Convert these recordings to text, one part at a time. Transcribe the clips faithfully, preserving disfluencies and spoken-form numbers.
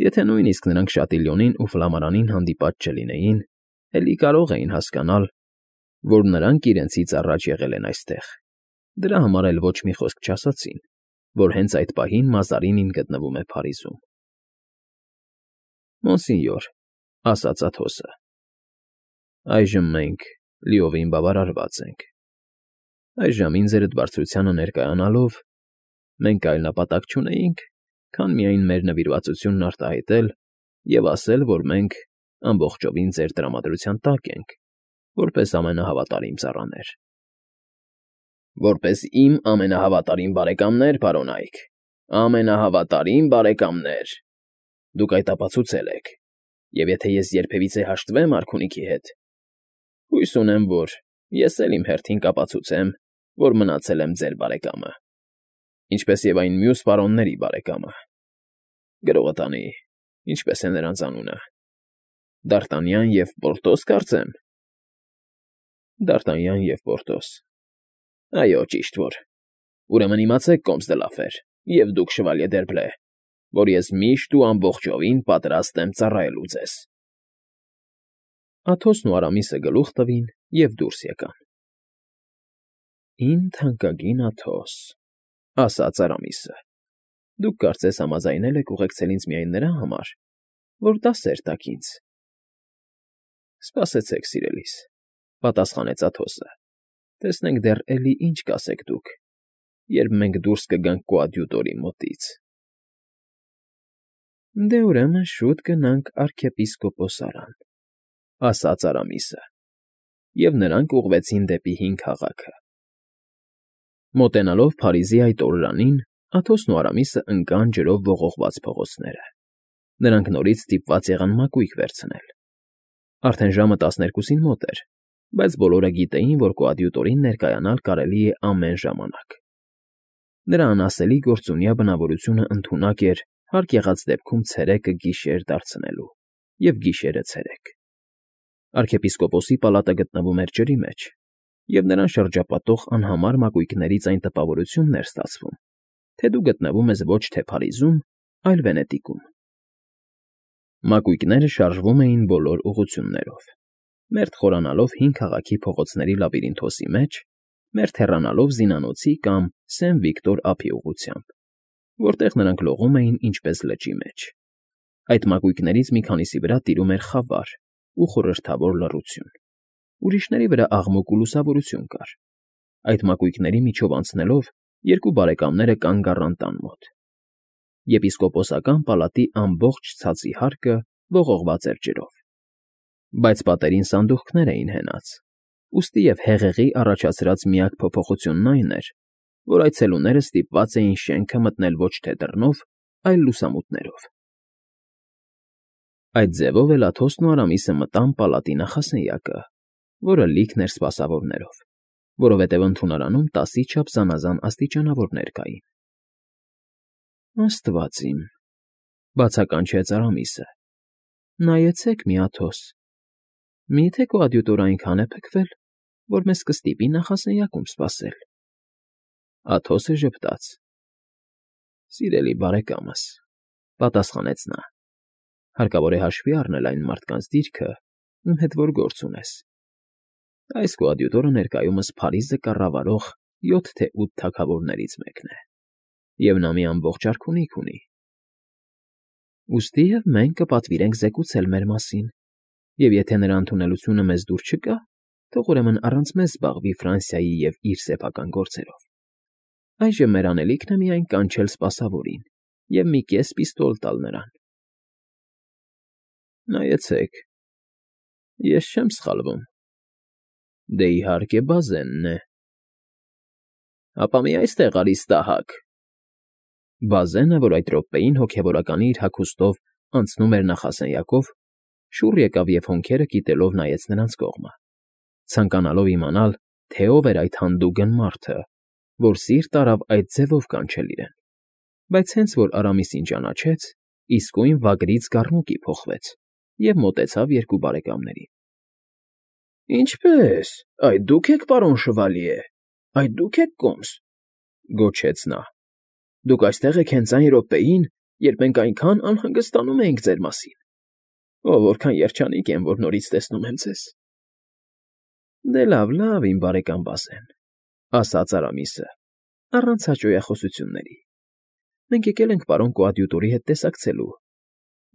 Եթե նույնիսկ նրանք Շատիլյոնին ու Ֆլամարանին հանդիպած չլինեին, էլի կարող էին հասկանալ, որ նրանք իրենցից առաջ եղել են այստեղ. դրա համար էլ ոչ մի խոսք չասացին, որ հենց այդ պահին Մազարինին գտնվում է Փարիզում։ ֊ Մոնսինյոր,֊ ասաց Աթոսը,֊ այժմ մենք լիովին բավարարված ենք։ Այս ժամին Ձերդ Բարձրությանը ներկայանալով, մենք այլ նպատակ չունեինք, քան միայն մեր նվիրվածությունն արտահայտել և ասել, որ մենք ամբողջովին Ձեր տրամադրության տակ ենք, որպես ամենահավատարիմ ծառաներ։ ֊ Որպես իմ ամենահավատարիմ բարեկամներ, պարոնայք, ամենահավատարիմ բարեկամներ, դուք այդ ապացուցել եք, և եթե ես երբևիցե հաշտվեմ արքունիքի հետ, հույս ունեմ, որ ես էլ իմ հերթին կապացուցեմ, որ մնացել եմ ձեր բարեկամը, ինչպես և այն մյուս պարոնների բարեկամը։ Գրողը տանի, ինչպես է նրանց անունը, Դ'Արտանյան և Պորտոս, կարծեմ։ ֊ Դ'Արտանյան և Պորտոս… Այո, ճիշտ որ… Ուրեմն իմացեք, կոմս դը Լաֆեր, և դուք, շվալյե Դերբլե, որ ես միշտ ու ամբողջովին պատրաստ եմ ծառայելու ձեզ։ Աթոսն ու Արամիսը գլուխ տվին և դուրս եկան։ ֊ Իմ թանկագին Աթոս,֊ ասաց Արամիսը,֊ դուք կարծես համաձայնել եք ուղեկցել ինձ միայն նրա համար, որ դասեր տաք ինձ։ ֊ Սպասեցեք, սիրելիս,֊ պատասխանեց Աթոսը,֊ տեսնենք դեռ էլի ինչ կասեք դուք, երբ մենք դուրս կգանք կոադյուտորի մոտից։ ֊ Դե, ուրեմն շուտ գնանք արքիեպիսկոպոսարան,֊ ասաց Արամիսը, և նրանք ուղղվեցին դեպի հին քաղաքը։ Մոտենալով Փարիզի այդ օրրանին, Աթոսն ու Արամիսը ընկան ջրով ողողված փողոցները. նրանք նորից ստիպված եղան մակույկը վերցնել։ Արդեն ժամը տասներկուսին մոտ էր, բայց բոլորը գիտեին, որ կոադյուտորին ներկայանալ կարելի է ամեն ժամանակ։ Նրա անասելի գործունյա բնավորությունը ընդունակ էր հարկ եղած դեպքում ցերեկը գիշեր դարձնելու և գիշերը՝ ցերեկ։ Արքիեպիսկոպոսի պալատը գտնվում էր ջրի մեջ, և նրան շրջապատող անհամար մակույկներից այն տպավորությունն էր ստացվում, թե դու գտնվում ես ոչ թե Փարիզում, այլ Վենետիկում։ Մակույկները շարժվում էին բոլոր ուղղություններով, մերթ խորանալով հին քաղաքի փողոցների լաբիրինթոսի մեջ, մերթ հեռանալով Զինանոցի կամ Սեն Վիկտոր ափի ուղղությամբ, որտեղ նրանք լողում էին ինչպես լճի մեջ։ Այդ մակույկներից մի քանիսի վրա տիրում էր խավար ու խորհրդավոր լռություն, ուրիշների վրա աղմուկ ու լուսավորություն կար։ Այդ մակույկների միջով անցնելով երկու բարեկամները կանգ առան տան մոտ։ Եպիսկոպոսական պալատի ամբողջ ցածի հարկը ողողված էր ջրով, բայց պատերին սանդուղքներ էին հենած, ուստի և հեղեղի առաջացրած միակ փոփոխությունն այն էր, որ այցելուները ստիպված էին շենքը մտնել ոչ թե դռնով, այլ լուսամուտներով։ Այդ ձևով էլ Աթոսն ու Արամիսը մտան պալատի նախասենյակը, որը լիքն էր սպասավորներով, որովհետև ընդունարանում տասի չափ զանազան աստիճանավորներ կային։ ֊ Աստված իմ,֊ բացականչեց Արամիսը,֊ նայեցեք մի, Աթոս, մի՞թե կոադյուտորը այնքան է փքվել, որ մեզ կստիպի նախասենյակում սպասել։ Աթոսը ժպտաց։ ֊ Սիրելի բարեկամս,֊ պատասխանեց նա,֊ հարկավոր է հաշվի առնել այն մարդկանց դիրքը, ում հետ որ գործ ունես։ Այս կոադյուտորը ներկայումս Փարիզը կառավարող յոթ թե ութ թագավորներից մեկն է, և նա մի ամբողջ արքունիք ունի։ Ուստի և մենք կպատվիրենք զեկուցել մեր մասին, և եթե նրա ընդունելությունը մեզ դուր չգա, թող ուրեմն առանց մեզ զբաղվի Ֆրանսիայի և իր սեփական գործերով։ Այժմ մեր անելիքն է միայն կանչել սպասավորին և մի կես պիստոլ տալ նրան։ ֊ Նայեցեք, ես չեմ սխալվում, դե, իհարկե, Բազենն է։ ֊ Հապա մի այստեղ արի, ստահակ… Բազենը, որ այդ րոպեին հոգևորականի իր հագուստով անցնում էր նախասենյակով, շուռ եկավ և հոնքերը կիտելով նայեց նրանց կողմը, ցանկանալով իմանալ, թե ով էր այդ հանդուգն մարդը, որ սիրտ արավ այդ ձևով կանչել իրեն, բայց հենց որ Արամիսին ճանաչեց, իսկույն վագրից գառնուկի փոխվեց և մոտեցավ երկու բարեկամներին։ ֊ Ինչպե՞ս, այդ դու՞ք եք, պարոն շվալյե, այդ դու՞ք եք, կոմս,֊ գոչեց նա,֊ դուք այստեղ եք հենց այն րոպեին, երբ մենք այնքան անհանգստանում էինք ձեր մասին։ Ո՜վ, որքան երջանիկ եմ, որ նորից տեսնում եմ ձեզ։ Դե լավ, լավ, իմ բարեկամ Բազեն,֊ ասաց Արամիսը, առանց հաճոյախոսությունների։ Մենք եկել ենք պարոն կոադյուտորի հետ տեսակցելու,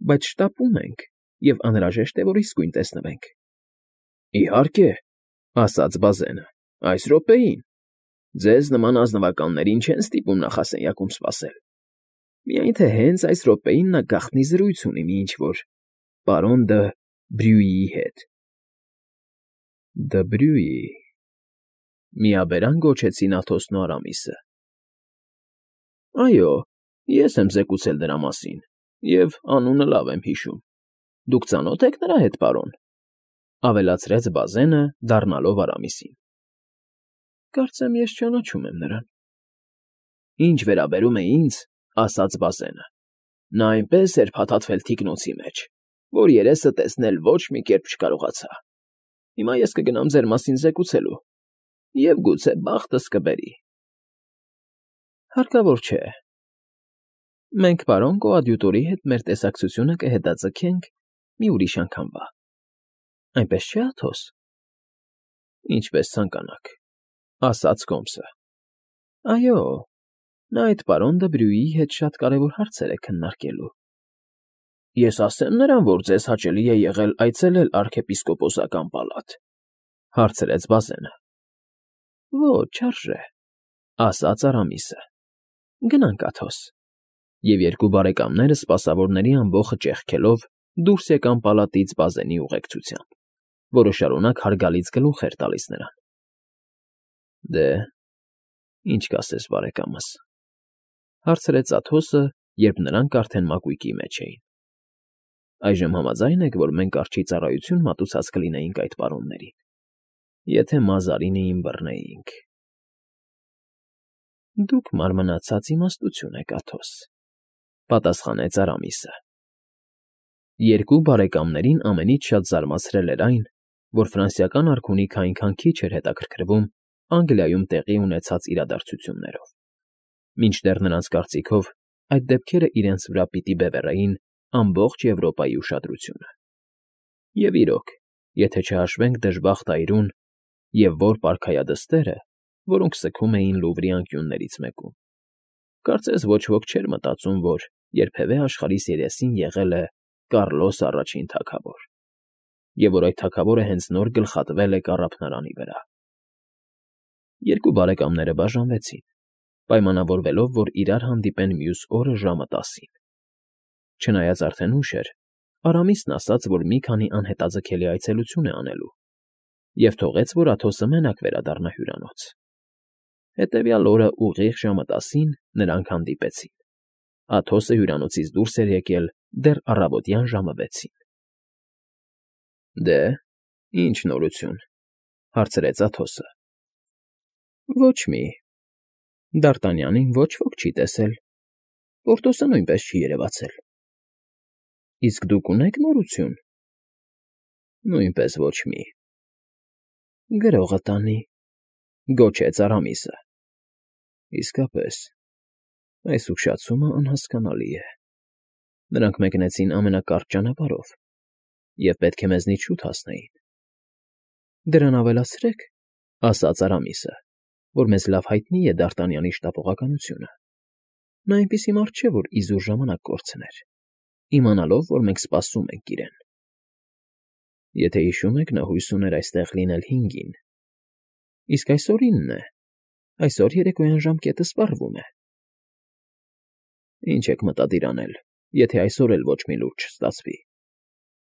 բայց շտապում ենք և անհրաժեշտ է, որ իսկույն տեսնվենք։ ֊ Իհարկե,֊ ասաց Բազենը,֊ այս րոպեին. ձեզ նման ազնվականներին չեն ստիպում նախասենյակում սպասել։ Միայն թե հենց այս րոպեին նա գաղտնի զրույց ունի մի ինչ֊որ պարոն Դը Բրյուիի հետ։ ֊ Դը Բրյուի,֊ միաբերան գոչեցին Աթոսն ու Արամիսը։ ֊ Այո, ես եմ զեկուցել նրա մասին և անունը լավ եմ հիշում։ Դուք ծանո՞թ եք նրա հետ, պարոն,֊ ավելացրեց Բազենը, դառնալով Արամիսին։ ֊ Կարծեմ ես ճանաչում եմ նրան։ ֊ Ինչ վերաբերում է ինձ,֊ ասաց Բազենը,֊ նա այնպես էր փաթաթվել թիկնոցի մեջ, որ երեսը տեսնել ոչ մի կերպ չկարողացա։ Հիմա ես կգնամ ձեր մասին զեկուցելու և գուցե բախտս կբերի։ ֊ Հարկավոր չէ։ Մենք պարոն կոադյուտորի հետ մեր տեսակցությունը կհետաձգենք մի ուրիշ անգամվա։ Այնպես չէ՞, Աթոս։ ֊ Ինչպես ցանկանաք,֊ ասաց Կոմսը։ ֊ Այո, նա այդ պարոն Դը Բրյուիի հետ շատ կարևոր հարցեր է քննարկելու։ ֊ Ես ասե՞մ նրան, որ ձեզ հաճելի է եղել այցելել արքեպիսկոպոսական պալատ,֊ հարցրեց Բազենը։ ֊ Ոչ, չարժե,֊ ասաց Արամիսը։ ֊ Գնանք, Աթոս։ Եվ երկու բարեկամները սպասավորների ամբոխը ճեղքելով դուրս եկան պալատից Բազենի ուղեկցությամբ, որը շարունակ հարգալից գլուխ էր տալիս նրան։ ֊ Դե, ի՞նչ կասես, բարեկամս,֊ հարցրեց Աթոսը, երբ նրանք արդեն մակույկի մեջ էին։ ֊ Այժմ համաձա՞յն եք, որ մենք արջի ծառայություն մատուցած կլինեինք այդ պարոններին, եթե Մազարինիին բռնեինք։ ֊ Դուք մարմնացած իմաստություն եք, Աթոս,֊ պատասխանեց Արամիսը։ Երկու բարեկամներին ամենից շատ զարմացրել էր այն, որ ֆրանսիական արքունիքը այնքան քիչ էր հետաքրքրվում Անգլիայում տեղի ունեցած իրադարձություններով, մինչդեռ նրանց կարծիքով այդ դեպքերը իրենց վրա պիտի բևեռեին ամբողջ Եվրոպայի ուշադրությունը։ Եվ իրոք, եթե չհաշվենք դժբախտ այրուն և որ պարքայադստերը, որոնք սգում էին Լուվրի անկյուններից մեկում, կարծես ոչ ոք չէր մտածում, որ երբևէ աշխարհիս երեսին եղել է Կառլոս առաջին թագավոր, և որ այդ թագավորը հենց նոր գլխատվել է կառափնարանի վրա։ Երկու բարեկամները բաժանվեցին, պայմանավորվելով, որ իրար հանդիպեն մյուս օրը ժամը տասին։ Չնայած արդեն ուշ էր, Արամիսն ասաց, որ մի քանի անհետաձգելի այցելություն է անելու, և թողեց, որ Աթոսը մենակ վերադառնա հյուրանոց։ Հետևյալ օրը ուղիղ ժամը տասին նրանք հանդիպեցին։ Աթոսը հյուրանոցից դուրս էր եկել դեռ առավոտյան ժամը վեցին։ ֊ Դե, ի՞նչ նորություն,֊ հարցրեց Աթոսը։ ֊ Ոչ մի. Դ'Արտանյանին ոչ ոք չի տեսել, Պորտոսը նույնպես չի երևացել։ ֊ Իսկ դուք ունե՞ք նորություն։ ֊ Նույնպես ոչ մի։ ֊ Գրողը տանի,֊ գոչեց Արամիսը։ ֊ Իսկապես, այս ուշացումը անհասկանալի է։ Նրանք մեկնեցին ամենակարճ ճանապարհով և պետք է մեզնից շուտ հասնեին։ ֊ Դրան ավելացրեք,֊ ասաց Արամիսը, որ մեզ լավ հայտնի է Դ'Արտանյանի շտապողականությունը։ Նա այնպիսի մարդ չէ, որ իզուր ժամանակ կորցներ, իմանալով, որ մենք սպասում ենք իրեն։ Եթե հիշում եք, նա հույս ուներ այստեղ լինել հինգին։ Իսկ այսօր ինն է, այսօր երեկոյան ժամկետը սպառվում է։ ֊ Ինչ եք մտադիր անել, եթե այսօր էլ ոչ մի լուր չստացվի,֊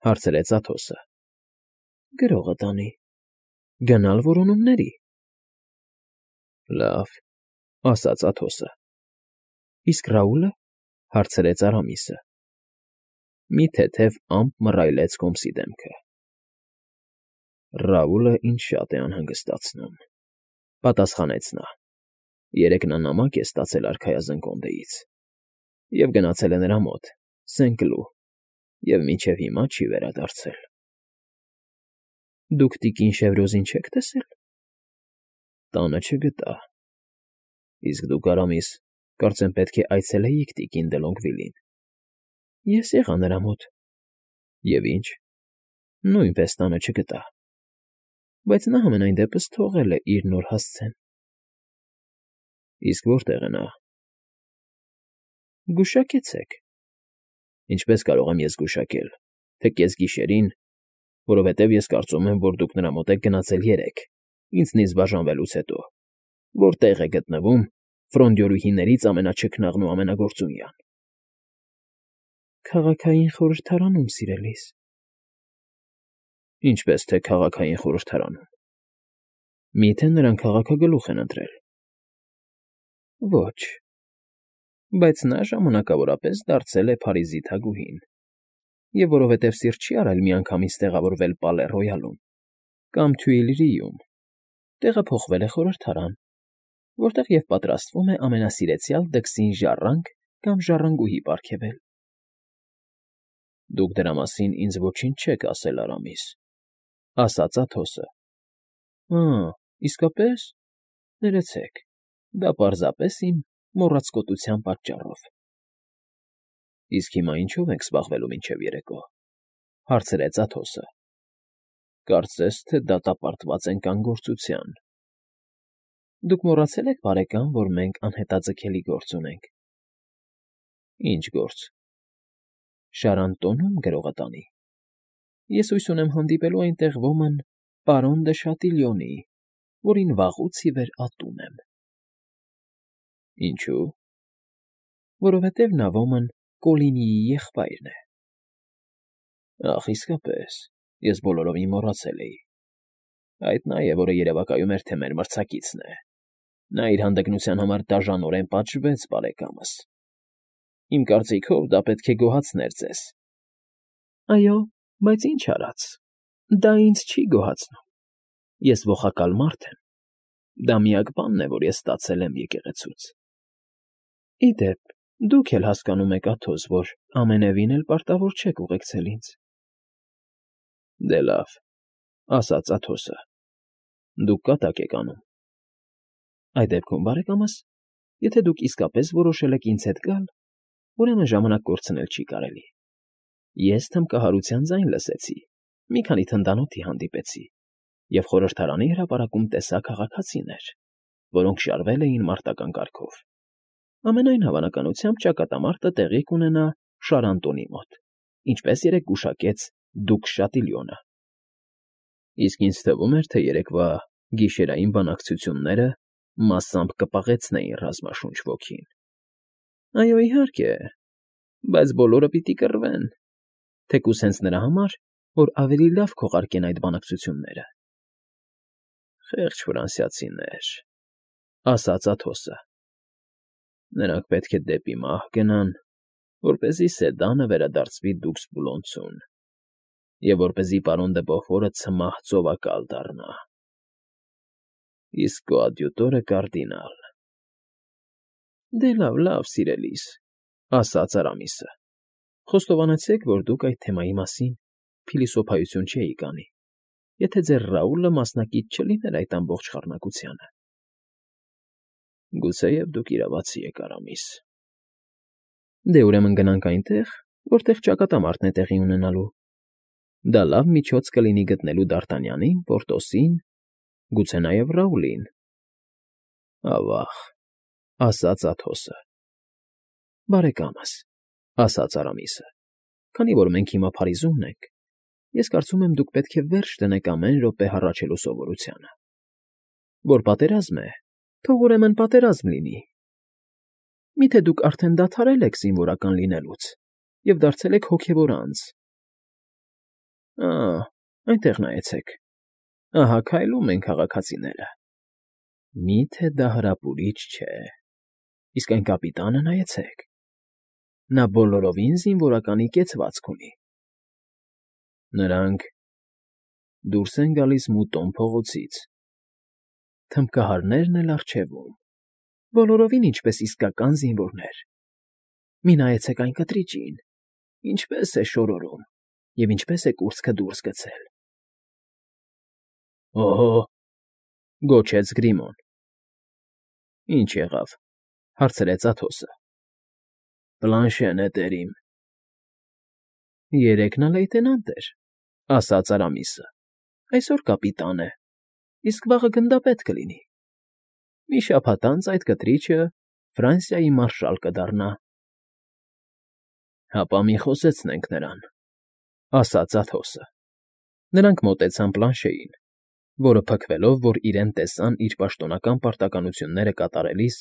հարցրեց Աթոսը։ ֊ Գրողը տանի, գնալ որոնումների։ ֊ Լավ,֊ ասաց Աթոսը։ ֊ Իսկ Ռաուլը,֊ հարցրեց Արամիսը։ Մի թեթև ամպ մռայլեց Կոմսի դեմքը։ ֊ Ռաուլը ինձ շատ է անհանգստացնում,֊ պատասխանեց նա։ Երեկ նա նամակ է ստացել արքայազն կոնդեից և գնացել է նրա մոտ, Սեն֊Կլու, և մինչև հիմա չի վերադարձել։ ֊ Դուք տիկին Շևրոզին չե՞ք տեսել։ ֊ Տանը չգտա։ ֊ Իսկ դուք, Արամիս, կարծեմ պետք է այցելեիք տիկին Դե Լոնգվիլին։ Ես եղա նրա մոտ։ Եվ ինչ։ Նույնպես տանը չգտա։ Բայց նա համենայն դեպս թողել է իր նոր հասցեն։ Իսկ որտե՞ղ է նա։ Գուշակեցեք։ Ինչպես կարող եմ ես գուշակել, թե կեսգիշերին, որովհետև ես կարծում եմ, որ դուք նրա մոտ եք գնացել երեկ, ինձնից բաժանվելուց հետո, որտեղ է գտնվում ֆրոնդյորուհիներից ամենաչքնաղն ու ամենագործունյան։ Քաղաքային խորհրդարանում, սիրելիս։ Ինչպես թե քաղաքային խորհրդարանում։ Միթե նրան քաղաքագլուխ են ընտրել։ Ոչ։ Բայց նա ժամանակավորապես դարձել է Փարիզի թագուհին, և որովհետև սիրտ չի արել միանգամից տեղավորվել Պալե Ռոյալում կամ Թյուիլրիում, տեղափոխվել է խորհրդարան, որտեղ և պատրաստվում է ամենասիրեցյալ դքսին ժառանգ կամ ժառանգուհի պարգևել։ Դուք դրա մասին ինձ ոչինչ չեք ասել, Արամիս, ասաց Աթոսը։ Ա՜, իսկապես, ներեցեք, դա պարզապես իմ մոռացկոտության պատճառով։ Իսկ հիմա ինչո՞վ ենք զբաղվելու մինչև երեկո, հարցրեց Աթոսը։ Կարծես թե դատապարտված ենք անգործության։ Դուք մոռացել եք, բարեկամ, որ մենք անհետաձգելի գործ ունենք։ Ինչ գործ։ Շարանտոնում գրողատանի։ Ես հույս ունեմ հանդիպելու այնտեղ ոմն պարոն դը Շատիլյոնի, որին վաղուց ի վեր ատում եմ։ Ինչո՞ւ։ Որովհետև նա ոմն Կոլինիի եղբայրն է։ Ախ, իսկապես, ես բոլորովին մոռացել էի։ Այդ նա է, որը երևակայում էր, թե մեր մրցակիցն է։ Նա իր հանդգնության համար դաժանորեն պատժվեց, բարեկամս։ Իմ կարծիքով, դա պետք է գոհացներ ձեզ։ Այո, բայց ինչ արած, դա ինձ չի գոհացնում։ Ես ոխակալ մարդ եմ։ Դա միակ բանն է, որ ես ստացել եմ եկեղեցուց։ Ի դեպ, դուք էլ հասկանում եք, Աթոս, որ ամենևին էլ պարտավոր չեք ուղեկցել ինձ։ Դե լավ, ասաց Աթոսը։ Դուք կատակ եք անում։ Այդ դեպքում, բարեկամս, եթե դուք իսկապես որոշել եք ինձ հետ գալ, ուրեմն ժամանակ կորցնել չի կարելի։ Ես թմբկահարության ձայն լսեցի, մի քանի թնդանոթի հանդիպեցի և խորհրդարանի հրապարակում տեսա քաղաքացիներ, որոնք շարվել էին մարտական կարգով։ Ամենայն հավանականությամբ ճակատամարտը տեղի կունենա Շարանտոնի մոտ, ինչպես երեկ գուշակեց դուք Շատիլյոնը։ Իսկ ինձ թվում էր, թե երեկվա գիշերային բանակցությունները մասամբ կպաղեցնեին ռազմաշունչ ոգին։ Այո, իհարկե, բայց բոլորը պիտի կռվեն, թեկուզ հենց նրա համար, որ ավելի լավ քողարկեն այդ բանակցությունները։ Խեղճ ֆրանսիացիներ, ասաց Աթոսը։ Նրանք պետք է դեպի մահ գնան, որպեսզի Սեդանը վերադարձվի դուքս Բուլոնցուն, և որպեսզի պարոն դը Բոֆորը ցմահ ծովակալ դառնա։ Իսկ կոադյուտորը կարդինալ։ Դե լավ, լավ, սիրելիս, ասաց Արամիսը։ Խոստովանեցեք, որ դուք այդ թեմայի մասին փիլիսոփայություն չէիք անի, եթե ձեր Ռաուլը մասնակից չլիներ այդ ամբողջ խառնակությանը։ Գուցեև դուք իրավացի եք, Արամիս։ Դե ուրեմն գնանք այնտեղ, որտեղ ճակատամարտն է տեղի ունենալու։ Դա լավ միջոց կլինի գտնելու Դ'Արտանյանին, Պորտոսին, գուցե նաև Ռաուլին։ Ավա՜ղ, ասաց Աթոսը։ Բարեկամս, ասաց Արամիսը, քանի որ մենք հիմա Փարիզումն ենք, ես կարծում եմ դուք պետք է վերջ դնեք ամեն րոպե հառաչելու սովորությանը։ Որ պատերազմ է, թող ուրեմն պատերազմ լինի։ Միթե դուք արդեն դադարել եք զինվորական լինելուց և դարձել եք հոգևոր անձ։ Ա՜, այնտեղ նայեցեք, ահա քայլում են քաղաքացիները։ Միթե դա հրապուրիչ չէ։ Իսկ այն կապիտանը նայեցեք։ Նա բոլորովին զինվորականի կեցվածք ունի։ Նրանք դուրս են գալիս Մուտոն փողոցից։ Թմբկահարներն էլ առջևում, բոլորովին ինչպես իսկական զինվորներ։ Մի նայեցեք այն կտրիճին, ինչպես է շորորում և ինչպես է կուրծքը դուրս գցել։ Օհո՜, գոչեց Գրիմոն։ Ինչ եղավ, հարցրեց Աթոսը։ Պլանշեն է, տերիմ։ Երեկ նա լեյտենանտ էր,֊ ասաց Արամիսը, այսօր կապիտան է, իսկ վաղը գնդապետ կլինի. մի շաբաթ անց այդ կտրիչը Ֆրանսիայի մարշալ կդառնա։ ֊ Հապա մի խոսեցնենք նրան,֊ ասաց Աթոսը։ Նրանք մոտեցան պլանշեին, որը, փքվելով, որ իրեն տեսան իր պաշտոնական պարտականությունները կատարելիս,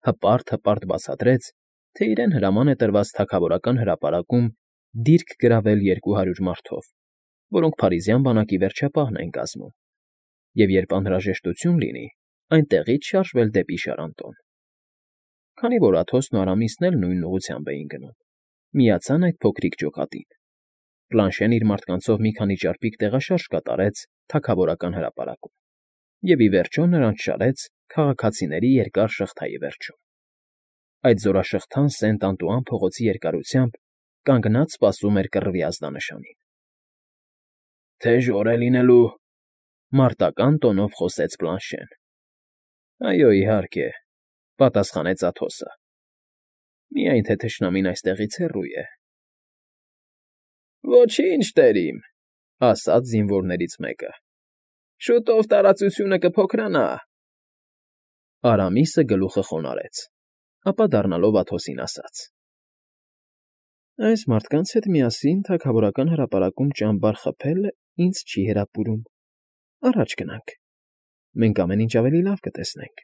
հպարտ֊հպարտ բացատրեց, թե իրեն հրաման է տրված թագավորական հրապարակում դիրք գրավել երկու հարյուր մարդով, որոնք փարիզյան բանակի վերջապահն են կազմում, և երբ անհրաժեշտություն լինի, այնտեղից շարժվել դեպի Շարանտոն։ Քանի որ Աթոսն ու Արամիսն էլ նույն ուղղությամբ էին գնում, միացան այդ փոքրիկ ջոկատին։ Պլանշեն իր մարդկանցով մի քանի ճարպիկ տեղաշարժ կատարեց թագավորական հրապարակում և, ի վերջո, նրանց շարեց քաղաքացիների երկար շղթայի վերջում։ Այդ զորաշղթան Սենտ Անտուան փողոցի երկարությամբ կանգնած սպասում էր կռվի ազդանշանին։ ֊ Թեժ օր է լինելու,֊ մարտական տոնով խոսեց Պլանշեն։ ֊ Այո, իհարկե,֊ պատասխանեց Աթոսը։ Միայն թե թշնամին այստեղից հեռու է։ ֊ Ոչինչ, տերիմ,֊ ասաց զինվորներից մեկը,֊ շուտով տարածությունը կփոքրանա։ Արամիսը գլուխը խոնարհեց, ապա դառնալով Աթոսին ասաց. «Այս մարդկանց հետ միասին թագավորական հրապարակում ճամբար խփելն ինձ չի հրապուրում. առաջ գնանք, մենք ամեն ինչ ավելի լավ կտեսնենք»։ ֊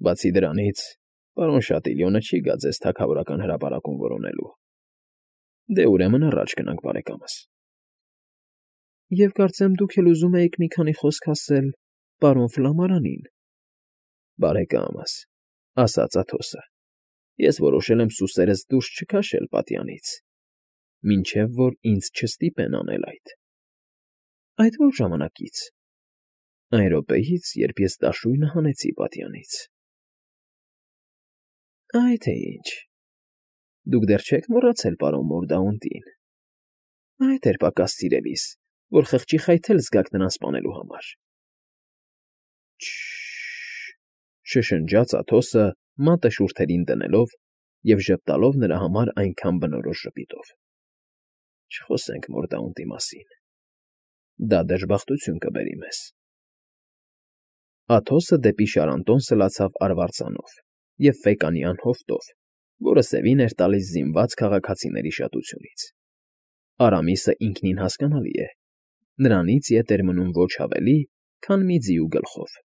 Բացի դրանից, պարոն Շատիլյոնը չի գա ձեզ թագավորական հրապարակում որոնելու։ Դե, ուրեմն, առաջ գնանք, բարեկամս։ ֊ Եվ կարծեմ դուք էլ ուզում էիք մի քանի խոսք ասել պարոն Ֆլամարանին։ ֊ Բարեկամս,֊ ասաց Աթոսը,֊ ես որոշել եմ սուսերս դուրս չքաշել պատյանից, մինչև որ ինձ չստիպեն անել այդ։ ֊ Այդ ո՞ր ժամանակից։ ֊ Այն րոպեից, երբ ես դաշույնը հանեցի պատյանից։ ֊ Այ թե ինչ, դուք դեռ չեք մոռացել պարոն Մորդաունտին։ Այդ էր պակաս սիրելիս, որ խղճի խայթել զգաք նրան սպանելու համար։ ֊ Շը՜շ֊շ֊շ,֊ շշնջաց Աթոսը մատը շուրթերին դնելով և ժպտալով նրա համար այնքան բնորոշ ժպիտով։ ֊ Չխոսենք Մորդաունտի մասին, դա դժբախտություն կբերի մեզ։ Աթոսը դեպի Շարանտոն սլացավ արվարձանով և ֆեկանյան հովտով, որը սևին էր տալիս զինված քաղաքացիների շատությունից։ Արամիսը ինքնին հասկանալի է, նրանից ետ էր մնում ոչ ավելի, քան մի ձիու գլխով։